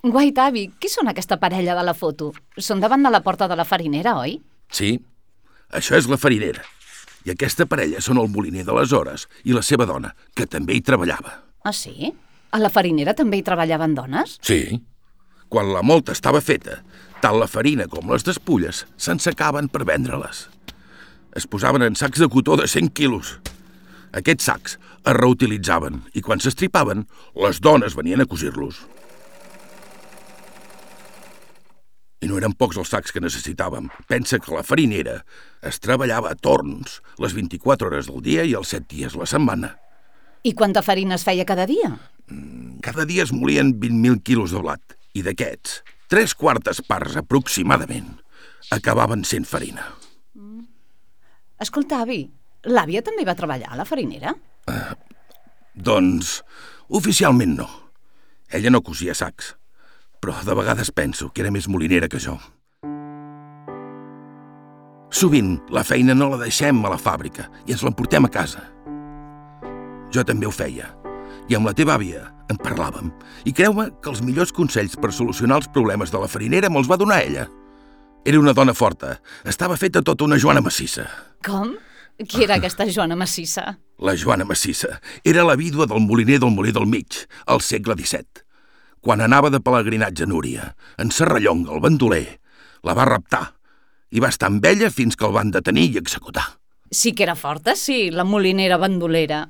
Guait, avi, qui són aquesta parella de la foto? Són davant de la porta de la farinera, oi? Sí, això és la farinera. I aquesta parella són el moliner de les hores i la seva dona, que també hi treballava. Ah, sí? A la farinera també hi treballaven dones? Sí. Quan la molta estava feta, tant la farina com les despulles s'ensecaven per vendre-les. Es posaven en sacs de cotó de 100 quilos. Aquests sacs es reutilitzaven i quan s'estripaven, les dones venien a cosir-los. I no eren pocs els sacs que necessitàvem. Pensa que la farinera es treballava a torns, les 24 hores del dia i els 7 dies la setmana. I quanta farina es feia cada dia? Cada dia es molien 20.000 quilos de blat, i d'aquests, 3/4 parts aproximadament acabaven sent farina. Escolta, avi, l'àvia també va treballar a la farinera? Doncs, oficialment no. Ella no cosia sacs, però de vegades penso que era més molinera que jo. Sovint la feina no la deixem a la fàbrica i ens l'emportem a casa. Jo també ho feia, i amb la teva àvia en parlàvem, i creu-me que els millors consells per solucionar els problemes de la farinera me'ls va donar ella. Era una dona forta, estava feta tota una Joana massissa. Com? Qui era aquesta Joana massissa? La Joana massissa era la vídua del moliner del Molí del Mig, al segle XVII. Quan anava de pelegrinatge a Núria, en Serrallonga, el bandoler, la va raptar i va estar amb ella fins que el van detenir i executar. Sí que era forta, sí, la molinera bandolera.